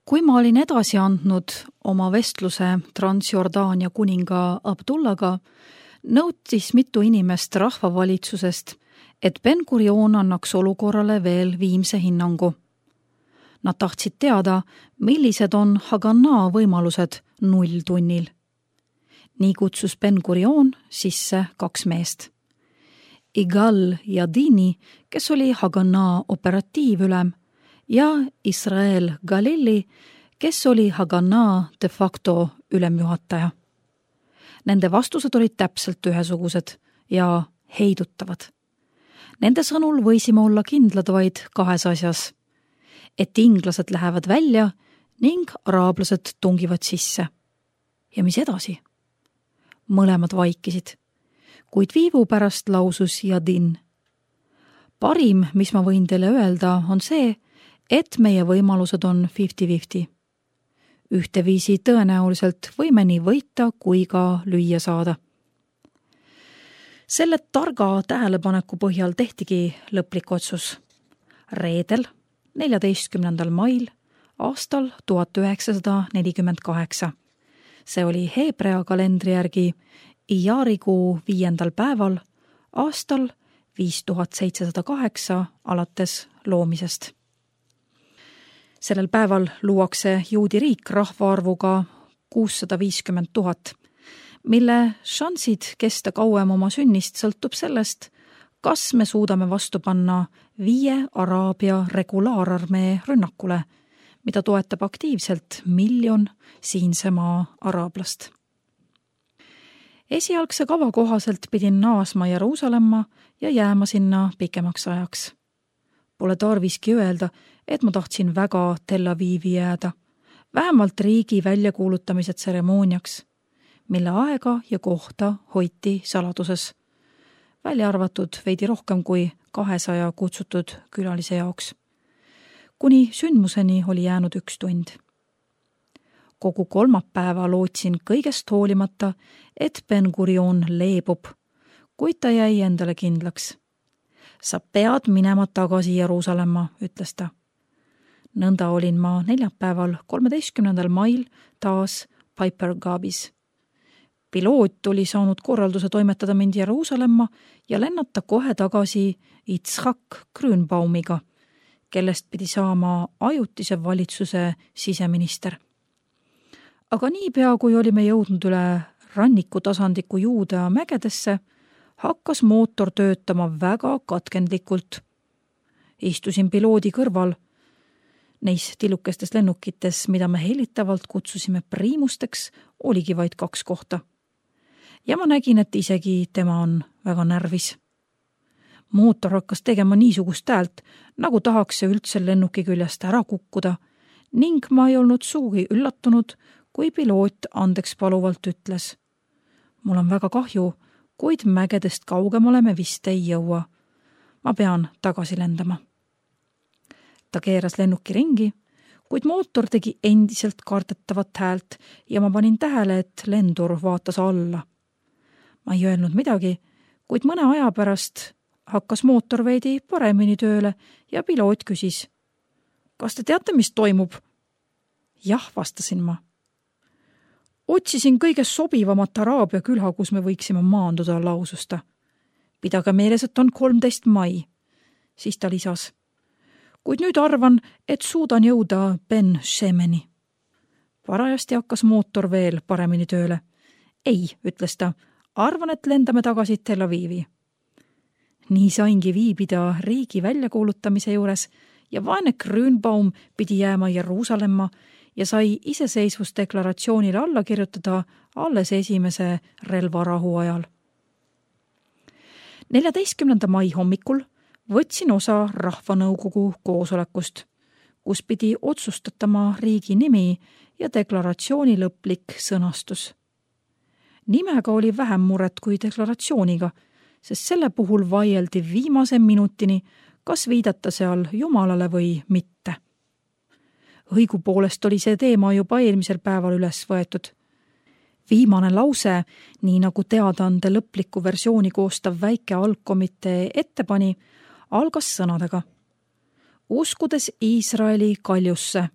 Kui ma olin edasi andnud oma vestluse Transjordaania kuninga Abdullaga, nõutis mitu inimest rahvavalitsusest, et Ben-Gurion annaks olukorrale veel viimse hinnangu. Nad tahtsid teada, millised on Haganah võimalused 0 tunnil. Nii kutsus Ben-Gurion sisse 2 meest. Igal Yadini, kes oli Haganah operatiivülem, ja Israel Galili, kes oli Haganah de facto ülemjuhataja. Nende vastused olid täpselt ühesugused ja heidutavad. Nende sõnul võisime olla kindlad vaid 2 asjas, et inglased lähevad välja ning araablased tungivad sisse. Ja mis edasi? Mõlemad vaikisid, kuid viivu pärast lausus Yadin. Parim, mis ma võin teile öelda, on see, et meie võimalused on 50-50. Ühteviisi tõenäoliselt võime nii võita kui ka lüüa saada. Selle targa tähelepaneku põhjal tehtigi lõplik otsus. Reedel, 14. mail aastal 1948. See oli Heebrea kalendri järgi Ijarikuu 5. päeval aastal 5708 alates loomisest. Sellel päeval luuakse juudi riik rahvaarvuga 650 000, mille šansid kesta kauem oma sünnist sõltub sellest, kas me suudame vastu panna 5 Araabia regulaararmee rünnakule, mida toetab aktiivselt 1 miljon siinse maa araablast. Esialgse kava kohaselt pidin naasma Jeruusalemma ja jääma sinna pikemaks ajaks. Pole tarviski öelda, et ma tahtsin väga Tel Avivi jääda, vähemalt riigi väljakuulutamise tseremooniaks, mille aega ja kohta hoiti saladuses, välja arvatud veidi rohkem kui 200 kutsutud külalise jaoks. Kuni sündmuseni oli jäänud 1 tund. Kogu kolmapäeva lootsin kõigest hoolimata, et Ben-Gurion leebub, kuid ta jäi endale kindlaks. Sa pead minema tagasi Jeruusalemma, ütles ta. Nõnda olin ma neljapäeval 13. mail taas Piper Gabis. Piloot oli saanud korralduse toimetada mind Jeruusalemma ja lennata kohe tagasi Itzhak Grünbaumiga, kellest pidi saama ajutise valitsuse siseminister. Aga niipea, kui olime jõudnud üle rannikutasandiku Juudea mägedesse, hakkas mootor töötama väga katkendlikult. Istusin piloodi kõrval, neis tillukestes lennukites, mida me helitavalt kutsusime priimusteks, oligi vaid 2 kohta. Ja ma nägin, et isegi tema on väga närvis. Mootor hakkas tegema niisugust häält, nagu tahaks see üldse lennuki küljest ära kukkuda, ning ma ei olnud suugi üllatunud, kui piloot andeks paluvalt ütles. Mul on väga kahju, kuid mägedest kaugemale me vist ei jõua. Ma pean tagasi lendama. Ta keeras lennuki ringi, kuid mootor tegi endiselt kardetavat häält ja ma panin tähele, et lendur vaatas alla. Ma ei öelnud midagi, kuid mõne aja pärast hakkas mootor veidi paremini tööle ja piloot küsis. Kas te teate, mis toimub? Jah, vastasin ma. Otsisin kõige sobivamat Araabia külha, kus me võiksime maanduda, laususta. Pidage meeles, et on 13. mai. Siis ta lisas. Kuid nüüd arvan, et suudan jõuda Ben Shemeni. Parajasti hakkas mootor veel paremini tööle. Ei, ütles ta, arvan, et lendame tagasi Tel Avivi. Nii saingi viibida riigi väljakuulutamise juures ja vaene Grünbaum pidi jääma Jeruusalemma ja sai iseseisvusdeklaratsioonile alla kirjutada alles esimese relvarahu ajal. 14. mai hommikul võtsin osa rahvanõukogu koosolekust, kus pidi otsustatama riigi nimi ja deklaratsiooni lõplik sõnastus. Nimega oli vähem muret kui deklaratsiooniga, sest selle puhul vaieldi viimase minutini, kas viidata seal Jumalale või mitte. Õigupoolest oli see teema juba eelmisel päeval üles võetud. Viimane lause, nii nagu teadaande lõpliku versiooni koostav väike algkomitee ette pani, algas sõnadega. Uskudes Iisraeli kaljusse,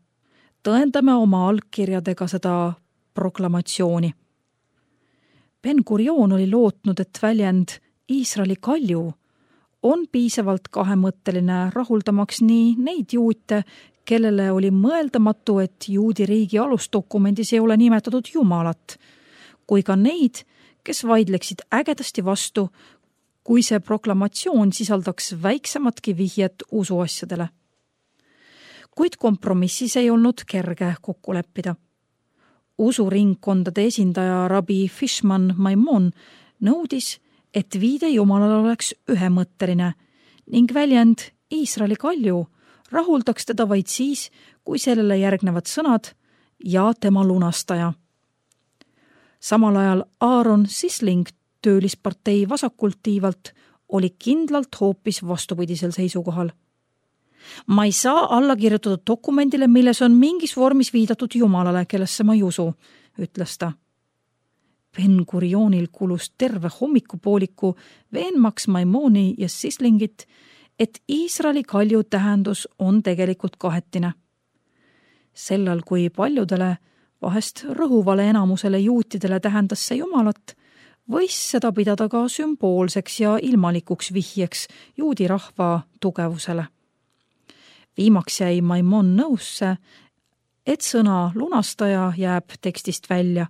tõendame oma allkirjadega seda proklamatsiooni. Ben-Gurion oli lootnud, et väljend Iisraeli kalju on piisavalt kahemõtteline rahuldamaks nii neid juute, kellele oli mõeldamatu, et juudi riigi alusdokumendis ei ole nimetatud Jumalat, kui ka neid, kes vaidleksid ägedasti vastu, kui see proklamatsioon sisaldaks väiksematki vihjet usuasjadele. Kuid kompromissis ei olnud kerge kokku leppida. Usuringkondade esindaja rabi Fishman Maimon nõudis, et viide Jumalale oleks ühemõtteline ning väljend Iisraeli kalju rahuldaks teda vaid siis, kui sellele järgnevad sõnad ja tema lunastaja. Samal ajal Aaron Sisling töölispartei vasakult tiivalt oli kindlalt hoopis vastupidisel seisukohal. Ma ei saa alla kirjutatud dokumendile, milles on mingis vormis viidatud Jumalale, kellesse ma ei usu, ütles ta. Ben-Gurionil kulus terve hommikupooliku veenmaks Maimoni ja Sislingit, et Iisraeli kalju tähendus on tegelikult kahetine. Sellal, kui paljudele, vahest rõhuvale enamusele juutidele tähendas see Jumalat, võis seda pidada ka sümboolseks ja ilmalikuks vihjeks juudi rahva tugevusele. Viimaks jäi Maimon nõusse, et sõna lunastaja jääb tekstist välja,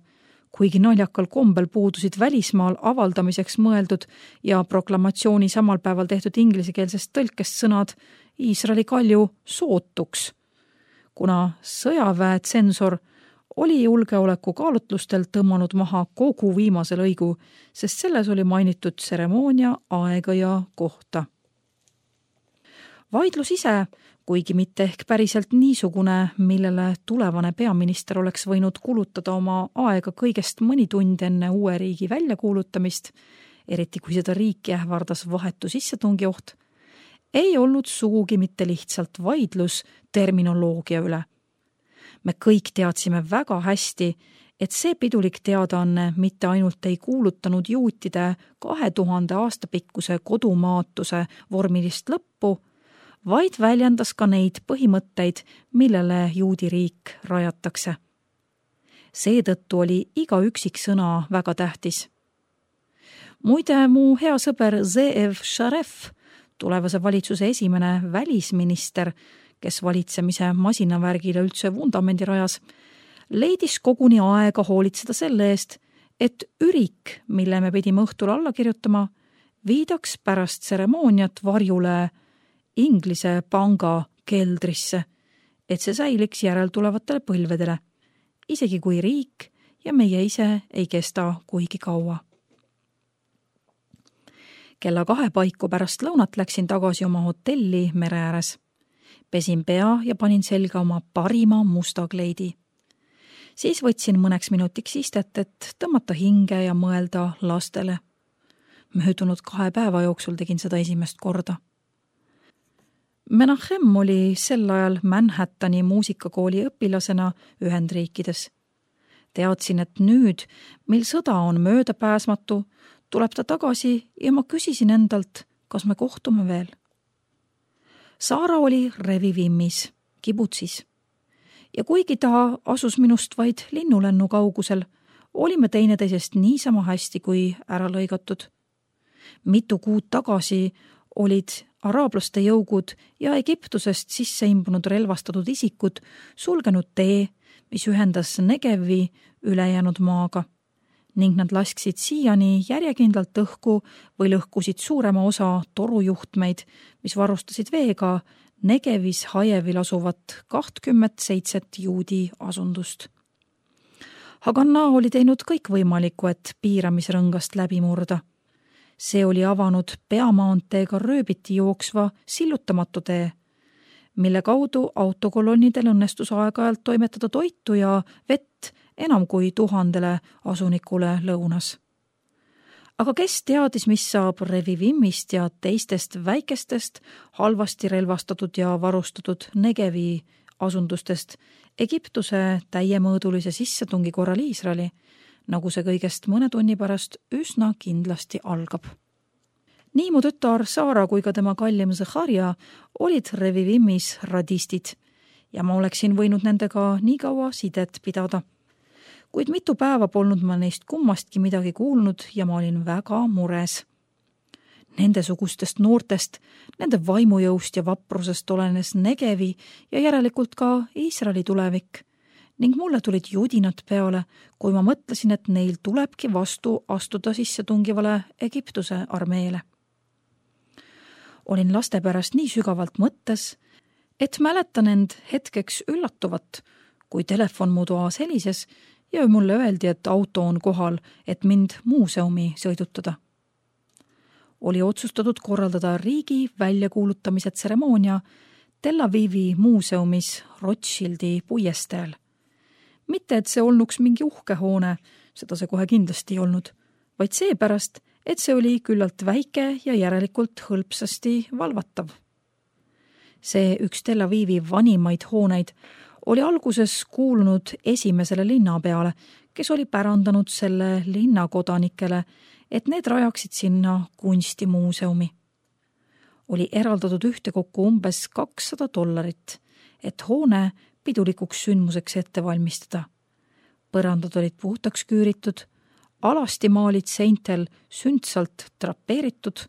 kuigi naljakal kombel puudusid välismaal avaldamiseks mõeldud ja proklamatsiooni samal päeval tehtud inglisekeelsest tõlkest sõnad Iisraeli kalju sootuks, kuna sõjaväe tsensor oli julgeoleku kaalutlustel tõmmanud maha kogu viimase lõigu, sest selles oli mainitud tseremoonia, aega ja kohta. Vaidlus ise, kuigi mitte ehk päriselt niisugune, millele tulevane peaminister oleks võinud kulutada oma aega kõigest mõni tund enne uue riigi väljakuulutamist, eriti kui seda riiki ähvardas vahetu sissetungi oht, ei olnud sugugi mitte lihtsalt vaidlus terminoloogia üle. Me kõik teadsime väga hästi, et see pidulik teadaanne mitte ainult ei kuulutanud juutide 2000 aasta pikkuse kodumaatuse vormilist lõppu, vaid väljendas ka neid põhimõtteid, millele juudi riik rajatakse. Seetõttu oli iga üksik sõna väga tähtis. Muide, mu hea sõber Zeev Sharef, tulevase valitsuse esimene välisminister, kes valitsemise masinavärgile üldse vundamendi rajas, leidis koguni aega hoolitseda selle eest, et ürik, mille me pidime õhtul alla kirjutama, viidaks pärast tseremooniat varjule Inglise panga keldrisse, et see säiliks järeltulevatele põlvedele, isegi kui riik ja meie ise ei kesta kuigi kaua. Kella 2 paiku pärast lõunat läksin tagasi oma hotelli mere ääres. Pesin pea ja panin selga oma parima musta kleidi. Siis võtsin mõneks minutiks istet, et tõmmata hinge ja mõelda lastele. Möödunud 2 päeva jooksul tegin seda esimest korda. Menachem oli sel ajal Manhattani muusikakooli õpilasena Ühendriikides. Teadsin, et nüüd, mil sõda on möödapääsmatu, tuleb ta tagasi ja ma küsisin endalt, kas me kohtume veel. Saara oli Revivimmis, kibutsis. Ja kuigi ta asus minust vaid linnulennu kaugusel, olime teineteisest niisama hästi kui ära lõigatud. Mitu kuud tagasi olid araablaste jõugud ja Egiptusest sisse imbunud relvastatud isikud sulgenud tee, mis ühendas Negevi ülejäänud maaga, ning nad lasksid siiani järjekindlalt õhku või lõhkusid suurema osa torujuhtmeid, mis varustasid veega Negevis Hajevil asuvat 27 juudi asundust. Haganna oli teinud kõik võimalikku, et piiramisrõngast läbi murda. See oli avanud peamaanteega rööbiti jooksva sillutamatu tee, mille kaudu autokolonnidel õnnestus aeg-ajalt toimetada toitu ja vett enam kui 1000 asunikule lõunas. Aga kes teadis, mis saab Revivimmist ja teistest väikestest, halvasti relvastatud ja varustatud Negevi asundustest Egiptuse täiemõõdulise sissetungi korral Iisraeli, nagu see kõigest mõne tunni pärast üsna kindlasti algab. Nii mu tütar Saara kui ka tema kallim Zecharja olid Revivimmis radistid ja ma oleksin võinud nendega nii kaua sidet pidada. Kuid mitu päeva polnud ma neist kummastki midagi kuulnud ja ma olin väga mures. Nendesugustest noortest, nende vaimujõust ja vaprusest olenes Negevi ja järelikult ka Iisraeli tulevik ning mulle tulid judinad peale, kui ma mõtlesin, et neil tulebki vastu astuda sissetungivale Egiptuse armeele. Olin laste pärast nii sügavalt mõttes, et mäletan end hetkeks üllatuvat, kui telefon mu toas helises ja mulle öeldi, et auto on kohal, et mind muuseumi sõidutada. Oli otsustatud korraldada riigi väljakuulutamise tseremoonia Tel Avivi muuseumis Rothschildi puiesteel. Mitte, et see olnuks mingi uhke hoone, seda see kohe kindlasti ei olnud, vaid seepärast, et see oli küllalt väike ja järelikult hõlpsasti valvatav. See üks Tel Avivi vanimaid hooneid oli alguses kuulunud esimesele linnapeale, kes oli pärandanud selle linnakodanikele, et need rajaksid sinna kunstimuuseumi. Oli eraldatud ühtekokku umbes $200, et hoone pidulikuks sündmuseks ette valmistada. Põrandad olid puhtaks küüritud, alasti maalid seintel sündsalt drapeeritud,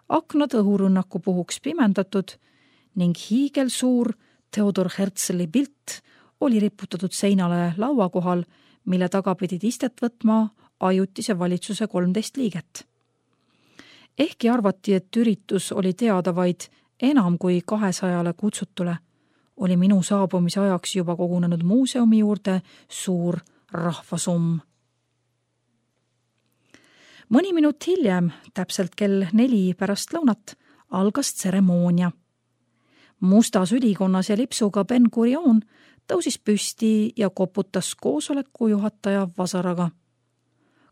aknad õhurünnaku puhuks pimendatud ning hiigelsuur Theodor Herzli pilt oli riputatud seinale laua kohal, mille taga pidid istet võtma ajutise valitsuse 13 liiget. Ehkki arvati, et üritus oli teada vaid enam kui 200 kutsutule, oli minu saabumise ajaks juba kogunenud muuseumi juurde suur rahvasumm. Mõni minut hiljem, täpselt kell 4 pärast lõunat, algas tseremoonia. Mustas ülikonnas ja lipsuga Ben Gurion tõusis püsti ja koputas koosoleku juhataja vasaraga.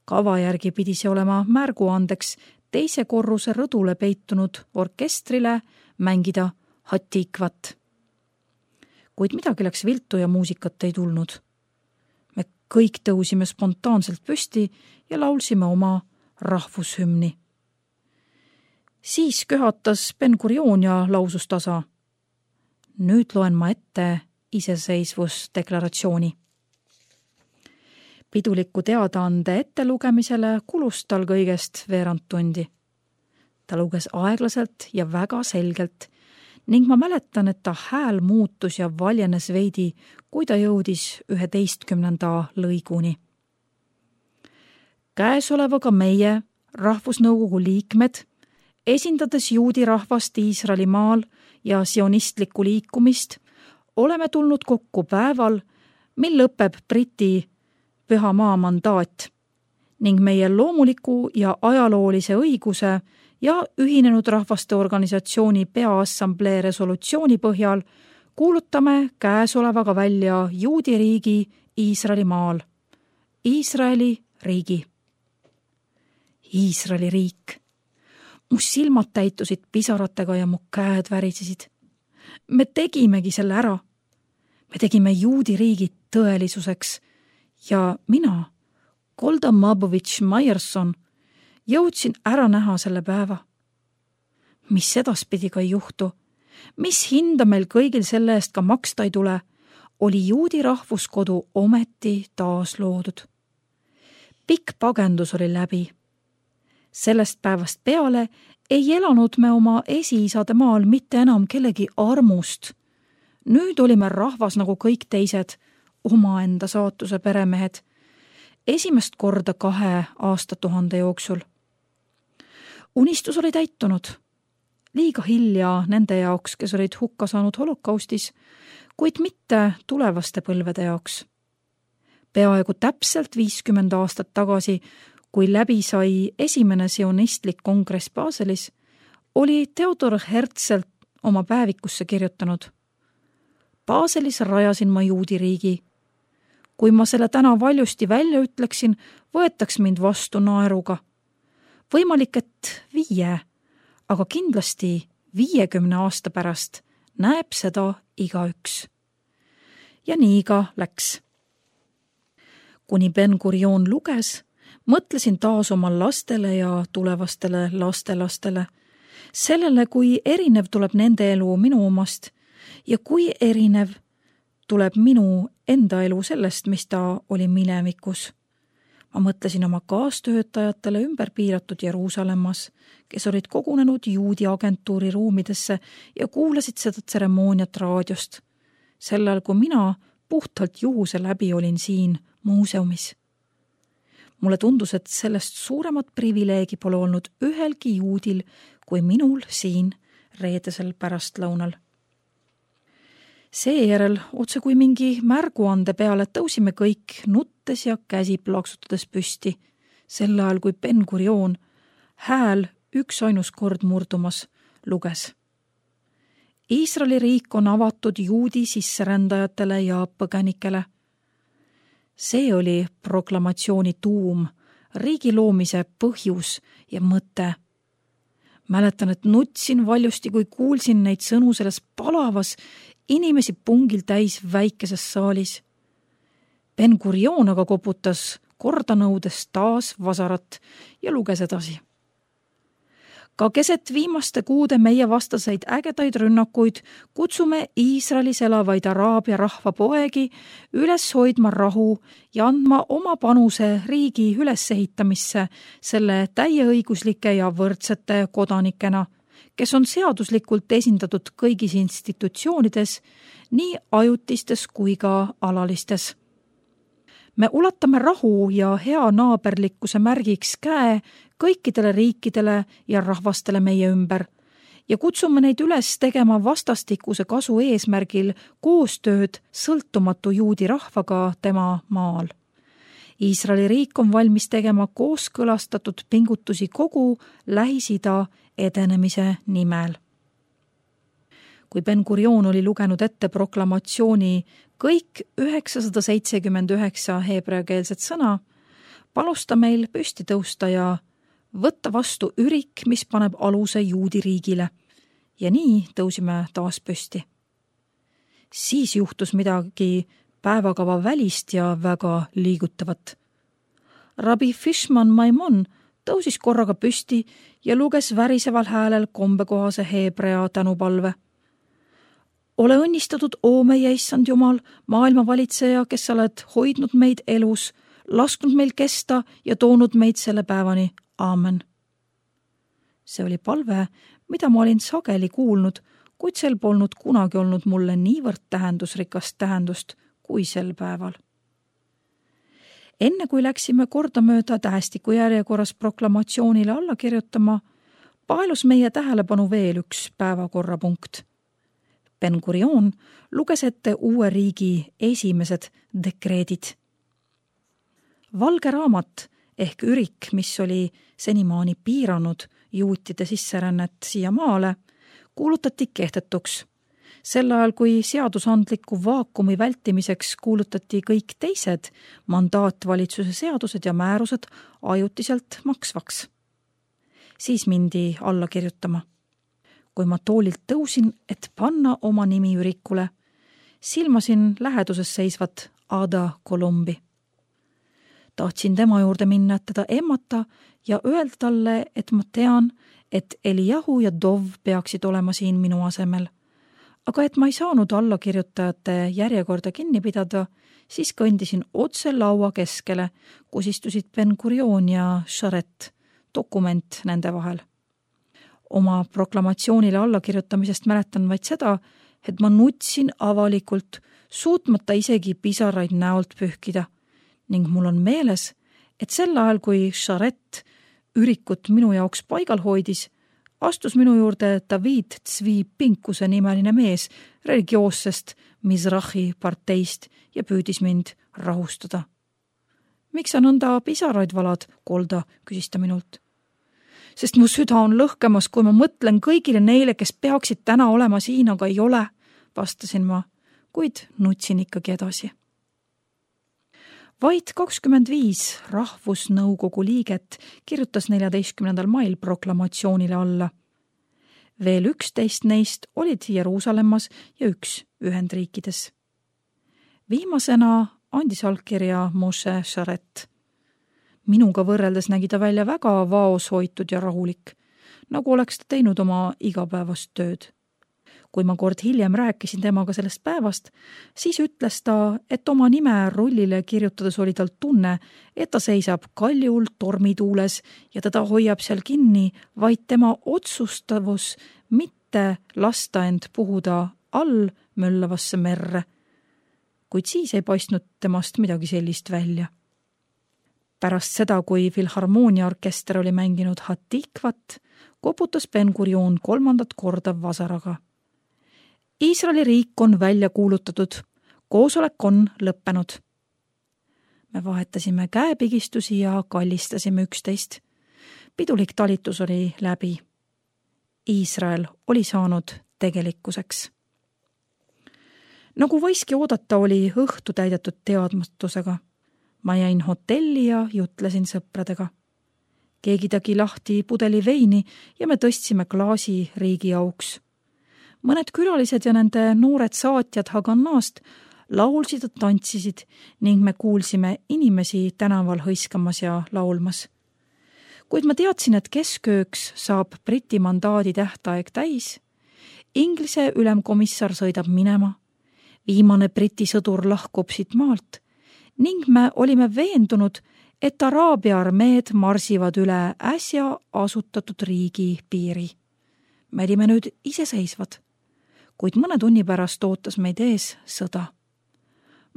Kava järgi pidi see olema märguandeks teise korruse rõdule peitunud orkestrile mängida Hatikvat. Kuid midagi läks viltu ja muusikat ei tulnud. Me kõik tõusime spontaanselt püsti ja laulsime oma rahvushümni. Siis köhatas Ben Gurion ja lausus tasa. Nüüd loen ma ette iseseisvusdeklaratsiooni. Piduliku teadaande ettelugemisele kulus tal kõigest veerand tundi. Ta luges aeglaselt ja väga selgelt ning ma mäletan, et ta hääl muutus ja valjenes veidi, kui ta jõudis 11. lõiguni. Käesolevaga meie, Rahvusnõukogu liikmed, esindades juudi rahvast Iisraeli maal ja sionistlikku liikumist, oleme tulnud kokku päeval, mil lõpeb Briti Püha Maa mandaat ning meie loomuliku ja ajaloolise õiguse ja Ühinenud Rahvaste Organisatsiooni Peaassamblee resolutsiooni põhjal kuulutame käesolevaga välja juudi riigi Iisraeli maal. Iisraeli riigi. Iisraeli riik. Mu silmad täitusid pisaratega ja mu käed värisesid. Me tegimegi selle ära. Me tegime juudi riigi tõelisuseks ja mina, Golda Mabovitš Maierson, jõudsin ära näha selle päeva. Mis edaspidi ka ei juhtu, mis hinda meil kõigil selle eest ka maksta ei tule, oli juudi rahvuskodu ometi taas loodud. Pikk pagendus oli läbi. Sellest päevast peale ei elanud me oma esiisade maal mitte enam kellegi armust. Nüüd olime rahvas nagu kõik teised, omaenda saatuse peremehed, esimest korda 2 aastatuhande jooksul. Unistus oli täitunud. Liiga hilja nende jaoks, kes olid hukka saanud holokaustis, kuid mitte tulevaste põlvede jaoks. Peaaegu täpselt 50 aastat tagasi, kui läbi sai esimene sionistlik kongress Baselis, oli Theodor Herzl oma päevikusse kirjutanud. Baselis rajasin ma juudi riigi. Kui ma selle täna valjusti välja ütleksin, võetaks mind vastu naeruga. Võimalik, et 5, aga kindlasti 50 aasta pärast näeb seda igaüks. Ja nii ka läks. Kuni Ben Gurion luges, mõtlesin taas oma lastele ja tulevastele lastelastele, sellele, kui erinev tuleb nende elu minu omast ja kui erinev tuleb minu enda elu sellest, mis ta oli minevikus. Ma mõtlesin oma kaastöötajatele ümber piiratud Jeruusalemmas, kes olid kogunenud juudi agentuuri ruumidesse ja kuulasid seda tseremooniat raadiost. Sellel, kui mina puhtalt juhuse läbi olin siin muuseumis. Mulle tundus, et sellest suuremat privileegi pole olnud ühelgi juudil kui minul siin reedesel pärastlõunal. Seejärel otse kui mingi märguande peale tõusime kõik nuttes ja käsi plaksutades püsti, sel ajal kui Ben Gurion, hääl üksainus kord murdumas, luges. Iisraeli riik on avatud juudi sisserändajatele ja põgenikele. See oli proklamatsiooni tuum, riigi loomise põhjus ja mõte. Mäletan, et nutsin valjusti, kui kuulsin neid sõnu selles palavas, inimesi pungil täis väikeses saalis. Ben Gurion aga koputas kordanõudes taas vasarat ja luges edasi. Ka keset viimaste kuude meie vastaseid ägedaid rünnakuid kutsume Iisraelis elavaid araabia rahva poegi üles hoidma rahu ja andma oma panuse riigi ülesehitamisse selle täieõiguslike ja võrdsete kodanikena, kes on seaduslikult esindatud kõigis institutsioonides, nii ajutistes kui ka alalistes. Me ulatame rahu ja hea naaberlikkuse märgiks käe kõikidele riikidele ja rahvastele meie ümber ja kutsume neid üles tegema vastastikuse kasu eesmärgil koostööd sõltumatu juudi rahvaga tema maal. Iisraeli riik on valmis tegema kooskõlastatud pingutusi kogu Lähis-Ida edenemise nimel. Kui Ben Gurion oli lugenud ette proklamatsiooni kõik 979 heebreakeelset sõna, palus ta meil püsti tõusta ja võtta vastu ürik, mis paneb aluse juudi riigile. Ja nii tõusime taas püsti. Siis juhtus midagi päevakava välist ja väga liigutavat. Rabbi Fishman Maimon tõusis korraga püsti ja luges väriseval häälel kombekohase heebrea tänupalve. Ole õnnistatud, oo meie issand Jumal, maailmavalitseja, kes sa oled hoidnud meid elus, lasknud meil kesta ja toonud meid selle päevani. Aamen. See oli palve, mida ma olin sageli kuulnud, kuid sel polnud kunagi olnud mulle niivõrd tähendusrikast tähendust kui sel päeval. Enne kui läksime kordamööda tähestiku järjekorras proklamatsioonile alla kirjutama, paelus meie tähelepanu veel üks päevakorrapunkt. Ben Gurion luges ette uue riigi esimesed dekreedid. Valge raamat ehk ürik, mis oli senimaani piiranud juutide sisserännet siia maale, kuulutati kehtetuks. Sel ajal, kui seadusandliku vaakumi vältimiseks kuulutati kõik teised mandaatvalitsuse seadused ja määrused ajutiselt maksvaks. Siis mindi alla kirjutama. Kui ma toolilt tõusin, et panna oma nimi ürikule, silmasin läheduses seisvat Ada Kolumbi. Tahtsin tema juurde minna, et teda emmata ja öelda talle, et ma tean, et Eliyahu ja Dov peaksid olema siin minu asemel. Aga et ma ei saanud allakirjutajate järjekorda kinni pidada, siis kõndisin otse laua keskele, kus istusid Ben Gurion ja Sharet, dokument nende vahel. Oma proklamatsioonile allakirjutamisest mäletan vaid seda, et ma nutsin avalikult, suutmata isegi pisaraid näolt pühkida. Ning mul on meeles, et sel ajal, kui Sharet ürikut minu jaoks paigal hoidis, astus minu juurde David Tzvi Pinkuse nimeline mees religioossest Mizrahi parteist ja püüdis mind rahustada. Miks sa nõnda pisaraid valad, Kolda, küsis ta minult. Sest mu süda on lõhkemas, kui ma mõtlen kõigile neile, kes peaksid täna olema siin, aga ei ole, vastasin ma, kuid nutsin ikkagi edasi. Vaid 25 rahvusnõukogu liiget kirjutas 14. mail proklamatsioonile alla. Veel 11 neist olid Jeruusalemmas ja 1 Ühendriikides. Viimasena andis allkirja Moshe Sharet. Minuga võrreldes nägi ta välja väga vaoshoitud ja rahulik, nagu oleks ta teinud oma igapäevast tööd. Kui ma kord hiljem rääkisin temaga sellest päevast, siis ütles ta, et oma nime rullile kirjutades oli tal tunne, et ta seisab kaljul tormituules ja teda hoiab seal kinni vaid tema otsustavus mitte lasta end puhuda all möllavasse merre. Kuid siis ei paistnud temast midagi sellist välja. Pärast seda, kui Filharmooniaorkester oli mänginud Hatikvat, koputas Ben-Gurion 3. korda vasaraga. Iisraeli riik on välja kuulutatud, koosolek on lõppenud. Me vahetasime käepigistusi ja kallistasime üksteist. Pidulik talitus oli läbi. Iisrael oli saanud tegelikkuseks. Nagu võiski oodata, oli õhtu täidetud teadmatusega. Ma jäin hotelli ja jutlesin sõpradega. Keegi tegi lahti pudeli veini ja me tõstsime klaasi riigi auks. Mõned külalised ja nende noored saatjad Haganast laulsid ja tantsisid ning me kuulsime inimesi tänaval hõiskamas ja laulmas. Kuid ma teadsin, et keskööks saab Briti mandaadi tähtaeg täis. Inglise ülemkomissar sõidab minema. Viimane Briti sõdur lahkub siit maalt ning me olime veendunud, et Araabia armeed marsivad üle äsja asutatud riigi piiri. Me olime nüüd iseseisvad, kuid mõne tunni pärast ootas meid ees sõda.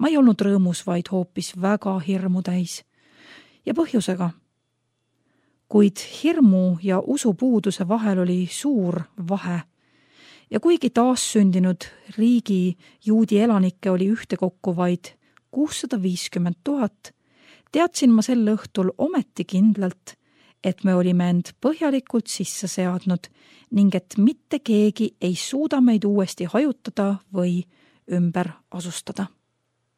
Ma ei olnud rõõmus, vaid hoopis väga hirmu täis. Ja põhjusega. Kuid hirmu ja usupuuduse vahel oli suur vahe. Ja kuigi taassündinud riigi juudi elanikke oli ühtekokku vaid 650 000, teadsin ma sel õhtul ometi kindlalt, et me olime end põhjalikult sisse seadnud ning et mitte keegi ei suuda meid uuesti hajutada või ümber asustada.